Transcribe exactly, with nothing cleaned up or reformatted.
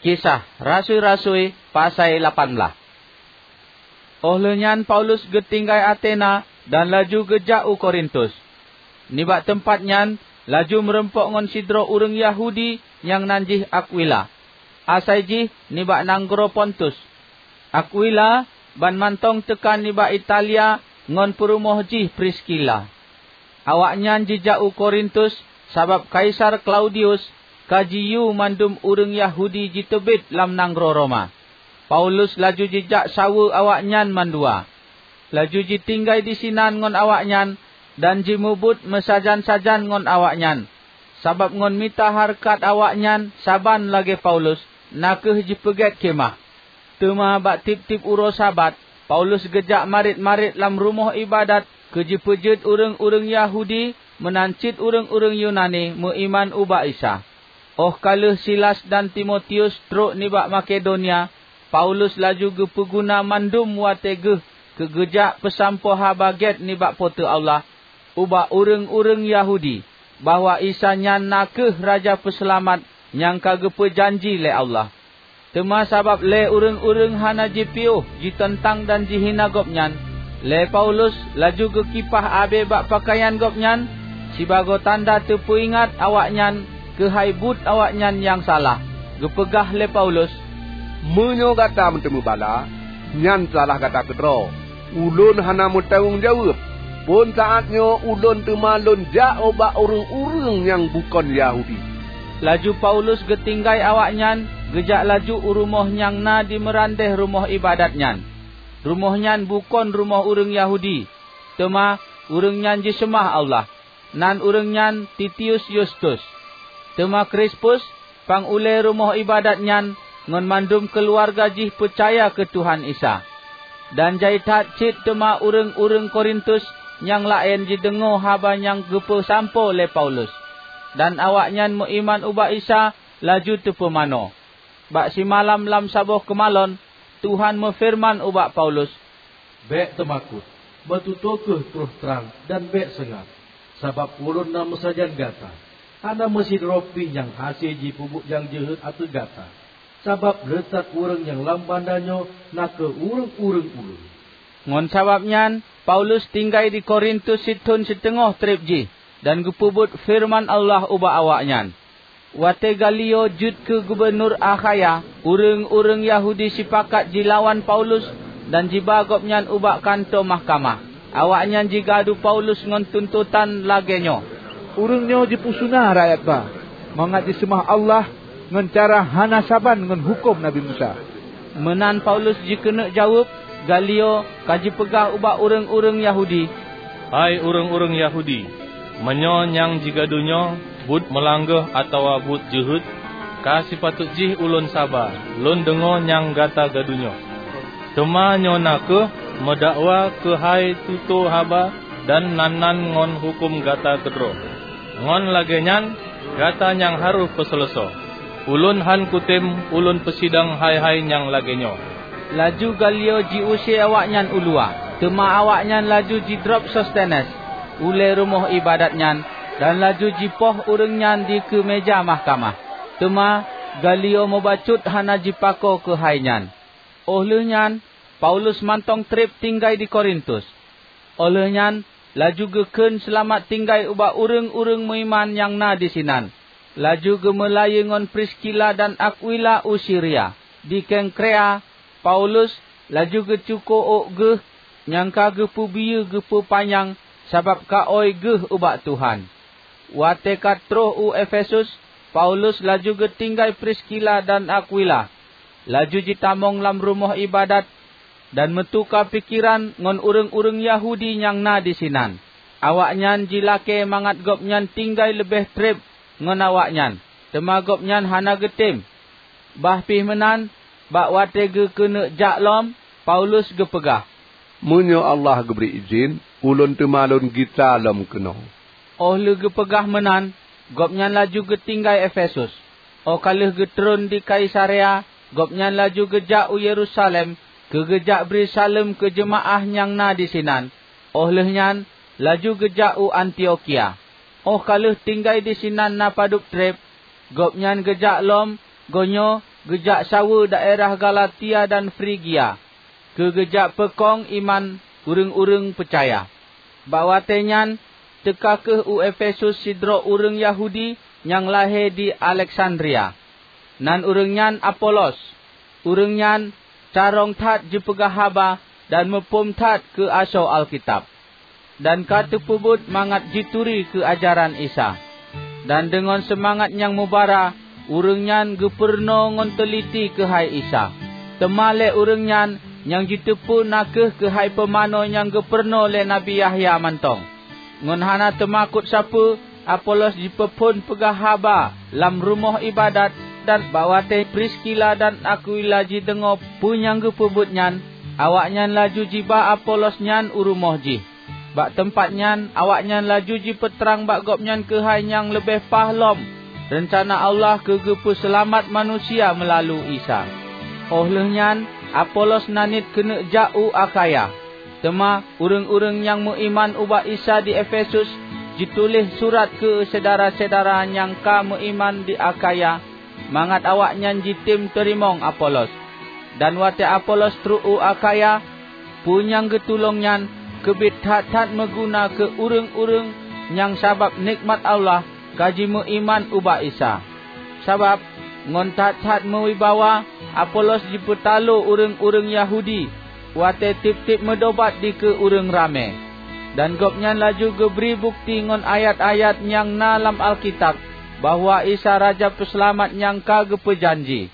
Kisah Rasui-rasui, pasai lapan blaih. Óh lheueh nyan Paulus geutinggai Atena dan laju geujak u Korintus. Nibak teumpat nyan laju meurumpok ngon sidroe ureuëng Yahudi nyang nan jih Akwila, asai jih nibak nanggroe Pontus. Akwila ban mantong teuka nibak Italia ngon peurumoh jih Priskila. Awaknyan jijak u Korintus sabab Kaisar Klaudius ka jiyue mandum ureuëng Yahudi jiteubiet lam nanggroe Roma. Paulus laju jijak saweue awaknyan mandua. Laju jitinggai disinan ngon awaknyan dan jimubuet meusajan-sajan ngon awaknyan, sabab ngon mita hareukat awaknyan saban lagée Paulus, na kheueh jipeugét khemah. Teuma bak tieb-tieb uroe Sabat, Paulus geujak marit-marit lam rumoh iébadat keu jipeujeuet ureuëng-ureuëng Yahudi meunan cit ureuëng-ureuëng Yunani meuiman ubak Isa. Óh ka lheueh Silas dan Timotius trok nibak Makedonia, Paulus laju geupeuguna mandum watée geuh keu geujak peusampoe Haba Gét nibak Po teu Allah ubak ureuëng-ureuëng Yahudi, bahwa Isa nyan na kheueh Raja Peuseulamat nyang ka geupeu janji lé Allah. Teuma sabab lé ureuëng-ureuëng hana jipiôh jiteuntang dan jihina gobnyan, lé Paulus laju geukipah abée bak peukayan gobnyan sibagoe tanda teupeuingat awaknyan keuhai buet awaknyan nyang salah. Geupeugah lé Paulus, "Meunyoe gata meuteumé bala, nyan salah gata keudroe. Ulôn hana meutanggong jaweueb. Phon saát nyoe ulôn teuma lôn jak ubak ureuëng-ureuëng nyang bukon Yahudi." Laju Paulus geutinggai awaknyan geujak laju u rumoh nyang na di meurandeh rumoh iébadat nyan. Rumoh nyan bukon rumoh ureuëng Yahudi, teuma ureuëng nyan jiseumah Allah. Nan ureuëng nyan Titius Yustus. Teuma Krispus, pang ulée rumoh iébadat nyan ngon mandum keuluwarga jih peucaya keu Tuhan Isa. Dan jai that cit teuma ureuëng-ureuëng Korintus nyang laén jideungoe haba nyang geupeusampoe lé Paulus, dan awaknyan meuiman ubak Isa laju teupumanö. Bak simalam lam saboh keumalon, Tuhan meufeureuman ubak Paulus, "Bék teumakot, meututoe kheueh troh trang dan bék seungab, sabab ulôn na meusajan gata. Hana meusidroe pih nyang hase jipeubuet nyang jeuhet ateueh gata, sabab leutak ureuëng nyang lam banda nyoe na kheueh ureuëng-ureuëng ulôn." Ngon sabab nyan, Paulus tinggai di Korintus sithon siteungoh treb jih dan geupeubuet feureuman Allah ubak awaknyan. Watée Galio jeuet keu gubunur Akhaya, ureuëng-ureuëng Yahudi sipakat jilawan Paulus dan jiba gobnyan ubak kantô mahkamah. Awaknyan jigadu Paulus ngon tuntotan lagée nyoe, "Ureuëng nyoe jipeusuna rakyat ba, mangat jiseumah Allah ngon cara hana saban ngon huköm Nabi Musa." Meunan Paulus jikeuneuk jaweueb, Galio ka jipeugah ubak ureuëng-ureuëng Yahudi, "Hai ureuëng-ureuëng Yahudi, meunyoe nyang jigadu nyoe buet meulanggoh atawa buet jeuhet, ka sipatot jih ulôn saba lôn deungoe nyang gata gadu nyoe. Teuma nyoe na kheueh meudakwa keuhai tutoe haba dan nan-nan ngon huköm gata keudroe. Ngon lagée nyan, gata nyang harôh peuseuleusoe. Ulôn hán kutem ulôn peusidang hai-hai nyang lagée nyoe." Laju Galio jiuse awaknyan u luwa, teuma awaknyan laju jidrob Sostenes, ulée rumoh iébadat nyan, dan laju jipoh ureuëng nyan dikeue méja mahkamah. Teuma Galio mubacut hana jipakoe keuhai nyan. Óh lheueh nyan, Paulus mantong treb tinggai di Korintus. Óh lheueh nyan, laju geukheun seulamat tinggai ubak ureuëng-ureuëng meuiman nyang na disinan. Laju geumeulayeue ngon Priskila dan Akwila u Siria. Di Kengkrea, Paulus laju geucuko ôk geuh nyang ka geupeubiyeu geupeupanyang sabab ka ôi geuh ubak Tuhan. Watée ka troh u Efesus, Paulus laju geutinggai Priskila dan Akwila, laju jitamong lam rumoh iébadat dan meutuka pikeran ngon ureuëng-ureuëng Yahudi nyang na disinan. Awaknyan jilakée mangat gobnyan tinggai leubeh treb ngon awaknyan, teuma gobnyan hana geutem. Bah pih meunan, bak watée geukeuneuk jak lom, Paulus geupeugah, "Meunyoe Allah geubri idhin, ulôn teuma lôn gisa lom keunoe." Óh lheueh geupeugah meunan, gobnyan laju geutinggai Efesus. Óh ka lheueh geutreun di Kaisarea, gobnyan laju geujak u Yerusalem keu geujak bri saleuem keu jeumaáh nyang na disinan. Óh lheueh nyan, laju geujak u Antiokhia. Óh ka lheueh tinggai disinan na padub treb, gobnyan geujak lom, goe nyoe geujak saweue daerah Galatia dan Frigia, keu geujak peukong iman ureuëng-ureuëng peucaya. Bak watée nyan teuka kheueh u Efesus sidroe ureuëng Yahudi nyang lahé di Aleksandria. Nan ureuëng nyan Apolos. Ureuëng nyan carông that jipeugah haba dan muphom that keu asoe Alkitab, dan ka teupeubuet mangat jituri keu ajaran Isa. Dan deungon seumangat nyang mubara, ureuëng nyan geupurunoe ngon teuliti keuhai Isa. Teuma lé ureuëng nyan nyang jiteupeu na kheueh keuhai pumanö nyang geupurunoe lé Nabi Yahya mantong. Ngon hana teumakot sapeue, Apolos jipeuphon peugah haba lam rumoh iébadat, dan bak watée Priskila dan Akwila jideungoe peue nyang geupeubuet nyan, awaknyan laju jiba Apolos nyan u rumoh jih. Bak teumpat nyan awaknyan laju jipeutrang bak gobnyan keuhai nyang leubeh paih lom reuncana Allah keu geupeuseulamat manusia meulalu Isa. Óh lheueh nyan Apolos naniet keuneuk jak u Akhaya. Teuma ureuëng-ureuëng nyang meuiman ubak Isa di Efesus jituléh surat keu syedara-syedara nyang ka meuiman di Akhaya mangat awaknyan jitem teurimong Apolos. Dan watée Apolos trok u Akhaya, peue nyang geutulông nyan keubiet that-that meuguna keu ureuëng-ureuëng nyang sabab nikmat Allah ka jimeuiman ubak Isa. Sabab ngon that-that meuwibawa Apolos jipeutalo ureuëng-ureuëng Yahudi watée tieb-tieb meudobat dikeue ureuëng ramé. Dan gobnyan laju geubri bukeuti ngon ayat-ayat nyang na lam Alkitab bahwa Isa Raja Peuseulamat nyang ka geupeujanji.